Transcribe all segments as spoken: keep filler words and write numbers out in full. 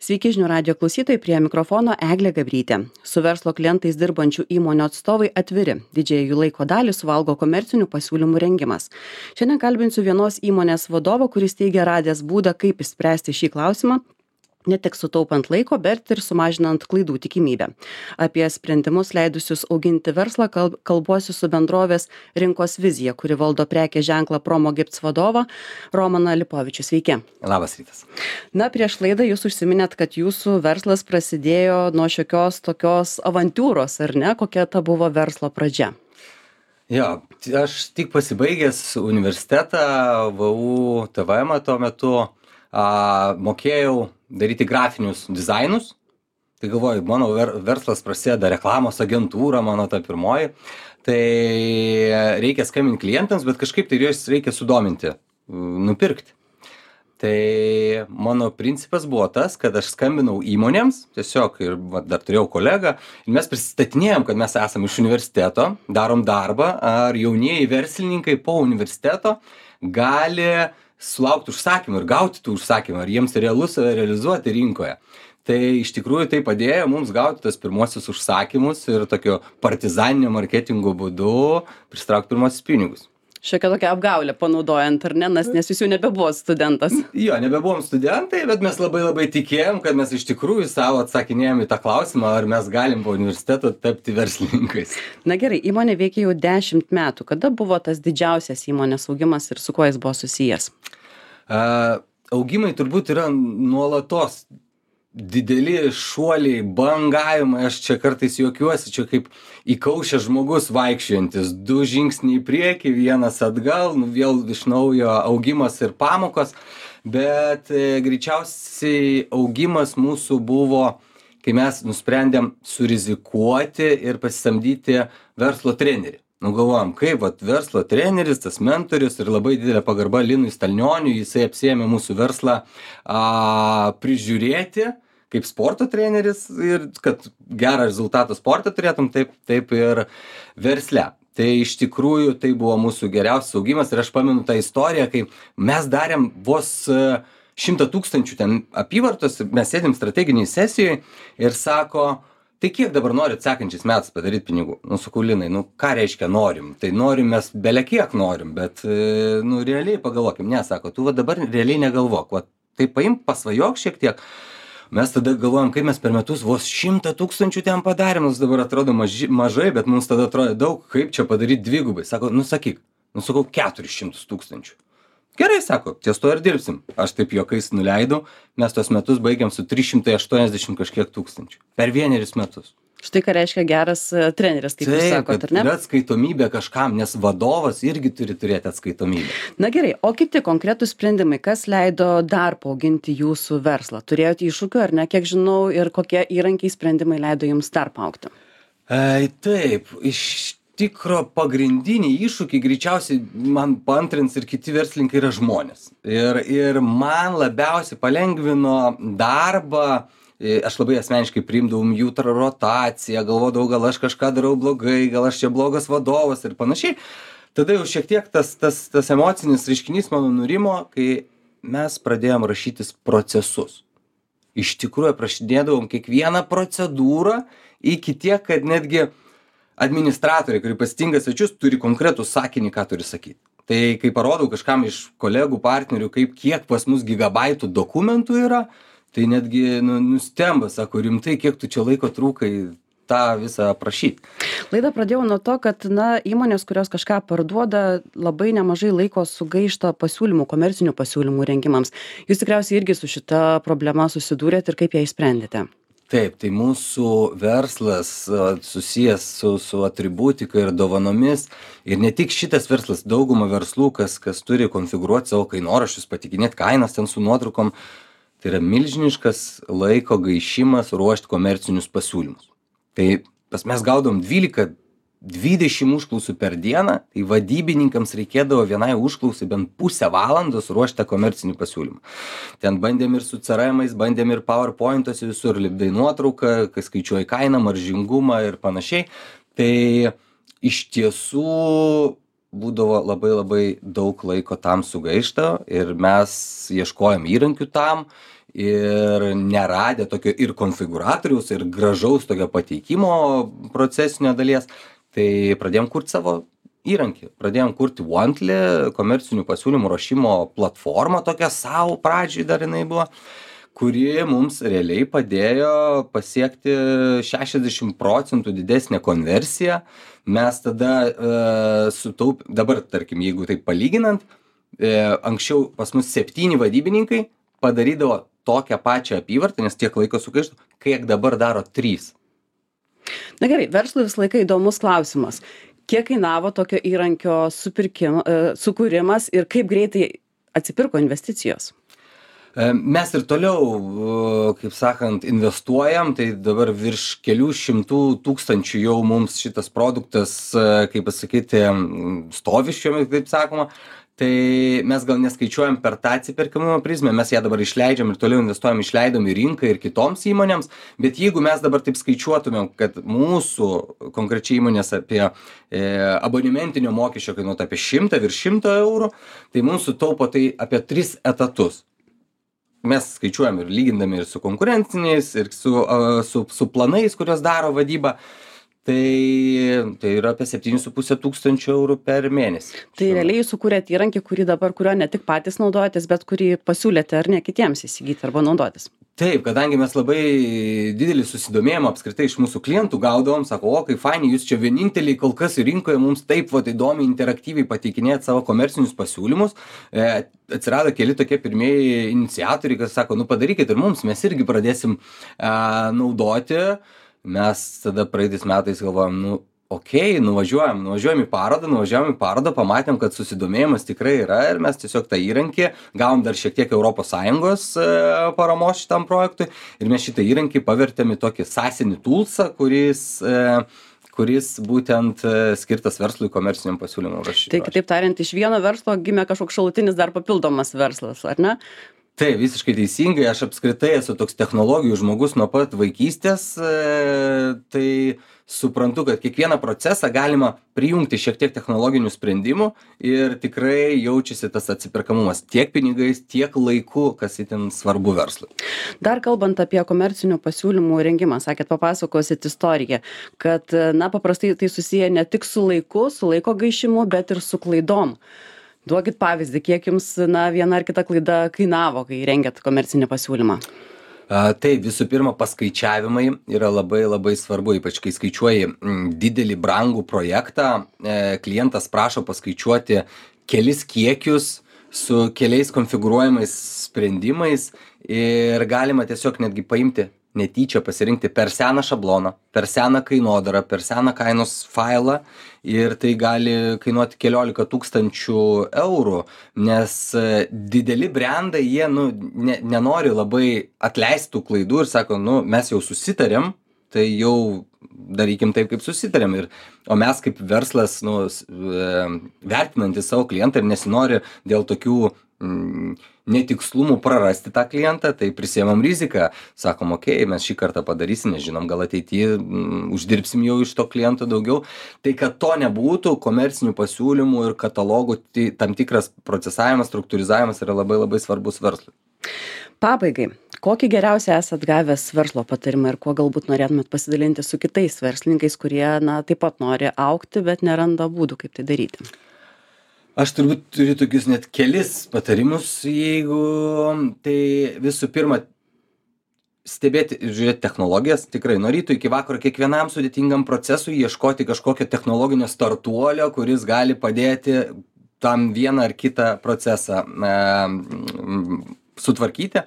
Sveiki žinių radijo klausytojai, prie mikrofono Eglė Gabrytė. Su verslo klientais dirbančių įmonių atstovai atviri. Didžiąją jų laiko dalį suvalgo komercinių pasiūlymų rengimas. Šiandien kalbinsiu vienos įmonės vadovą, kuris teigia radęs būdą, kaip išspręsti šį klausimą, ne tik sutaupant laiko, bet ir sumažinant klaidų tikimybę. Apie sprendimus leidusius auginti verslą kalb, kalbuosiu su bendrovės Rinkos vizija, kuri valdo prekės ženklą Promogifts vadovą Romaną Lipovičių. Sveiki. Labas rytas. Na, prieš laidą jūs užsiminėt, kad jūsų verslas prasidėjo nuo šiokios tokios avantiūros, ar ne? Kokia ta buvo verslo pradžia? Jo, aš tik pasibaigęs universitetą, V U T V M tuo metu, a, mokėjau daryti grafinius dizainus. Tai galvoju, mano ver, verslas prasideda reklamos agentūra, mano ta pirmoji. Tai reikia skambinti klientams, bet kažkaip tai juos reikia sudominti, nupirkti. Tai mano principas buvo tas, kad aš skambinau įmonėms, tiesiog ir va, dar turėjau kolegą, ir mes prisistatinėjom, kad mes esame iš universiteto, darom darbą, ar jaunieji verslininkai po universiteto gali sulaukti užsakymų ir gauti tų užsakymų, ar jiems realu save realizuoti rinkoje. Tai iš tikrųjų tai padėjo mums gauti tas pirmosius užsakymus ir tokio partizaninio marketingo būdu pristraukti pirmosius pinigus. Šiokia tokia apgaulė panaudojant, ar ne, nes jūs jau nebebuvo studentas. Jo, nebebuvom studentai, bet mes labai labai tikėjom, kad mes iš tikrųjų savo atsakinėjom į tą klausimą, ar mes galim po universiteto tapti verslininkais. Na gerai, įmonė veikia jau dešimt metų. Kada buvo tas didžiausias įmonės augimas ir su kuo jis buvo susijęs? Uh, augimai turbūt yra nuolatos dideli šuoliai, bangavimai, aš čia kartais juokiuosi, čia kaip įkaušęs žmogus vaikščiojantis, du žingsniai į priekį, vienas atgal, nu, vėl iš naujo augimas ir pamokos, bet e, greičiausiai augimas mūsų buvo, kai mes nusprendėm surizikuoti ir pasisamdyti verslo trenerį. Nu galvojom, kaip vat, verslo treneris, tas mentorius ir labai didelė pagarba Linui Stalnioniui, jisai apsiėmė mūsų verslą a, prižiūrėti kaip sporto treneris ir kad gerą rezultatą sportą turėtum, taip, taip ir versle. Tai iš tikrųjų tai buvo mūsų geriausias augimas ir aš pamenu tą istoriją, kai mes darėm vos šimtą tūkstančių ten apyvartos, mes sėdėm strateginiai sesijoje ir sako, tai kiek dabar norit sekančiais metais padaryti pinigų? Nu, sakau, Linai, nu, ką reiškia norim? Tai norim mes bele kiek norim, bet, nu, realiai pagalvokim. Ne, sako, tu va dabar realiai negalvok. Va, tai paimk, pasvajok šiek tiek. Mes tada galvojam, kaip mes per metus vos šimtą tūkstančių ten padarėm. Mums dabar atrodo maži, mažai, bet mums tada atrodo daug, kaip čia padaryti dvigubai. Sako, nu, sakyk, nu, sakau, keturis šimtus tūkstančių. Gerai, sako, ties to ir dirbsim. Aš taip juokais nuleidau, mes tos metus baigiam su trys šimtai aštuoniasdešimt kažkiek tūkstančių. Per vienerius metus. Štai ką reiškia geras treneris, kaip jūs sakot, ar ne? Yra atskaitomybė kažkam, nes vadovas irgi turi turėti atskaitomybę. Na gerai, o kiti konkretūs sprendimai, kas leido dar paauginti jūsų verslą? Turėjote iššūkių, ar ne, kiek žinau, ir kokie įrankiai sprendimai leido jums dar paaugti? E, taip, iš tikro pagrindiniai iššūkiai greičiausiai man paantrins ir kiti verslininkai yra žmonės. Ir, ir man labiausiai palengvino darbą, aš labai asmeniškai priimdavom jų rotaciją, galvodavau, gal aš kažką darau blogai, gal aš čia blogas vadovas ir panašiai. Tada jau šiek tiek tas, tas, tas emocinis reiškinys mano nurimo, kai mes pradėjom rašytis procesus. Iš tikrųjų aprašinėdavom kiekvieną procedūrą iki tiek, kad netgi administratoriai, kurie pasitinka svečius, turi konkretų sakinį, ką turi sakyti. Tai kai parodau kažkam iš kolegų, partnerių, kaip kiek pas mus gigabaitų dokumentų yra, tai netgi nu, nustemba, sako, rimtai, kiek tu čia laiko trūkai tą visą aprašyti. Laidą pradėjau nuo to, kad na, įmonės, kurios kažką parduoda, labai nemažai laiko sugaišta pasiūlymų, komercinių pasiūlymų rengimams. Jūs tikriausiai irgi su šita problema susidūrėt ir kaip ją išsprendėte? Taip, tai mūsų verslas susijęs su, su atributika ir dovanomis ir ne tik šitas verslas, dauguma verslų, kas, kas turi konfigūruoti savo kainoraščius, patikinėti kainas ten su nuotraukom, tai yra milžiniškas laiko gaišimas ruošti komercinius pasiūlymus. Tai pas mes gaudom dvylika dvidešimt užklausų per dieną, tai vadybininkams reikėdavo vienai užklausai bent pusę valandos ruošti komercinį pasiūlymą. Ten bandėm ir su C R M-ais, bandėm ir PowerPoint'uose visur, lipdai nuotrauką, kai skaičiuoji kainą, maržingumą ir panašiai. Tai iš tiesų būdavo labai labai daug laiko tam sugaišta ir mes ieškojom įrankių tam ir neradę tokio ir konfigūratoriaus, ir gražaus tokio pateikimo procesinio dalies, tai pradėjom kurti savo įrankį. Pradėjom kurti Wontly, komercinių pasiūlymų ruošimo platformą, tokią savo pradžiai dar jinai buvo, kuri mums realiai padėjo pasiekti šešiasdešimt procentų didesnę konversiją. Mes tada e, sutaup, dabar, tarkim, jeigu taip palyginant, e, anksčiau pas mus septyni vadybininkai padarydavo tokią pačią apyvartą, nes tiek laiko sugaištų, kiek dabar daro trys. Na gerai, verslui visą laiką įdomus klausimas. Kiek kainavo tokio įrankio supirkim, e, sukūrimas ir kaip greitai atsipirko investicijos? Mes ir toliau, kaip sakant, investuojam, tai dabar virš kelių šimtų tūkstančių jau mums šitas produktas, kaip pasakyti, stovi šiuo, taip sakoma. Tai mes gal neskaičiuojam per tą atsiperkamumo prizmę, mes ją dabar išleidžiam ir toliau investuojam, išleidom į rinką ir kitoms įmonėms, bet jeigu mes dabar taip skaičiuotumėm, kad mūsų konkrečiai įmonės apie e, abonementinio mokesčio kainuotų apie šimtą, virš šimto eurų, tai mums sutaupo tai apie tris etatus. Mes skaičiuojam ir lygindami ir su konkurenciniais, ir su, uh, su, su planais, kurios daro vadyba. Tai, tai yra apie septynis su puse tūkstančio eurų per mėnesį. Tai realiai jūs sukūrėte įrankį, kurį dabar, kurio ne tik patys naudojatės, bet kurį pasiūlėte ar ne kitiems įsigyti arba naudotis. Taip, kadangi mes labai didelį susidomėjimą apskritai iš mūsų klientų gaudavom, sako, o kaip faini, jūs čia vieninteliai kol kas rinkoje mums taip vat įdomiai interaktyviai pateikinėt savo komercinius pasiūlymus. E, atsirado keli tokie pirmieji iniciatoriai, kas sako, nu padarykit ir mums, mes irgi pradėsim e, naudoti. Mes tada praeitais metais galvojom, nu, okei, okay, nuvažiuojam, nuvažiuojam į parodą, nuvažiuojam į parodą, pamatėm, kad susidomėjimas tikrai yra ir mes tiesiog tą įrankį gavom dar šiek tiek Europos Sąjungos e, paramos šitam projektui ir mes šitą įrankį pavertėm į tokį sasinį toolsą, kuris, e, kuris būtent e, skirtas verslui komerciniam pasiūlymui rašyti. Tai kitaip tariant, iš vieno verslo gimė kažkoks šalutinis dar papildomas verslas, ar ne? Tai visiškai teisingai, aš apskritai esu toks technologijų žmogus nuo pat vaikystės, tai suprantu, kad kiekvieną procesą galima prijungti šiek tiek technologinių sprendimų ir tikrai jaučiasi tas atsiperkamumas tiek pinigais, tiek laiku, kas itin svarbu verslui. Dar kalbant apie komercinių pasiūlymų rengimą, sakėt, papasakosit istoriją, kad na, paprastai tai susiję ne tik su laiku, su laiko gaišimu, bet ir su klaidom. Duokit pavyzdį, kiek jums na, viena ar kita klaida kainavo, kai rengėt komercinį pasiūlymą? A, tai visų pirma, paskaičiavimai yra labai labai svarbu, ypač kai skaičiuoji m, didelį brangų projektą, e, klientas prašo paskaičiuoti kelis kiekius su keliais konfigūruojamais sprendimais ir galima tiesiog netgi paimti netyčia pasirinkti per seną šabloną, per seną kainodarą, per seną kainos failą ir tai gali kainuoti keliolika tūkstančių eurų, nes dideli brandai, jie nu, ne, nenori labai atleistų klaidų ir sako, nu, mes jau susitarėm, tai jau darykim taip, kaip susitarėm. Ir, o mes kaip verslas, nu, vertinantys savo klientą ir nesinori dėl tokių mm, netikslumų prarasti tą klientą, tai prisiemam riziką. Sakom, okei, okay, mes šį kartą padarysim, nežinom, gal ateityje mm, uždirbsim jau iš to kliento daugiau. Tai kad to nebūtų, komercinių pasiūlymų ir katalogų tai, tam tikras procesavimas, struktūrizavimas yra labai labai svarbus verslui. Pabaigai, kokį geriausią esat gavęs verslo patarimą ir kuo galbūt norėtumėt pasidalinti su kitais verslininkais, kurie na, taip pat nori augti, bet neranda būdų, kaip tai daryti? Aš turbūt turiu tokius net kelis patarimus, jeigu tai visų pirma stebėti ir žiūrėti technologijas, tikrai nuo ryto iki vakaro kiekvienam sudėtingam procesui ieškoti kažkokio technologinio startuolio, kuris gali padėti tam vieną ar kitą procesą e, sutvarkyti.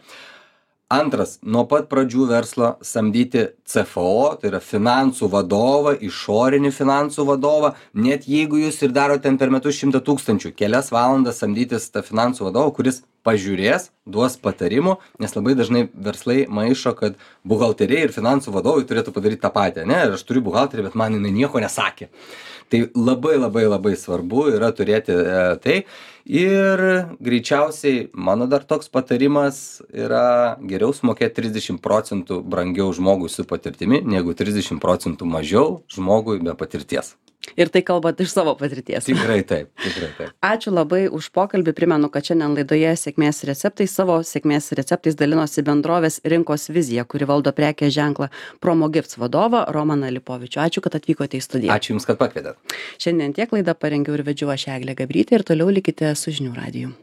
Antras, nuo pat pradžių verslo samdyti C F O, tai yra finansų vadovą, išorinį finansų vadovą, net jeigu jūs ir darote ten per metus šimtą tūkstančių, kelias valandas samdytis tą finansų vadovą, kuris pažiūrės, duos patarimų, nes labai dažnai verslai maišo, kad buhalteriai ir finansų vadovai turėtų padaryti tą patį, ne, aš turiu buhalterį, bet man jinai nieko nesakė. Tai labai labai labai svarbu yra turėti e, tai ir greičiausiai mano dar toks patarimas yra geriau sumokėti trisdešimt procentų brangiau žmogui su patirtimi, negu trisdešimt procentų mažiau žmogui be patirties. Ir tai kalbat iš savo patirties. Tikrai taip, tikrai taip. Ačiū labai už pokalbį. Primenu, kad šiandien laidoje sėkmės receptai savo sėkmės receptais dalinosi bendrovės Rinkos vizija, kuri valdo prekės ženklą Promogifts vadovą Romaną Lipovičių. Ačiū, kad atvykote į studiją. Ačiū Jums, kad pakvietėt. Šiandien tiek laidą parengiau ir vedžiau aš Eglė Gabrytė ir toliau likite su Žinių radiju.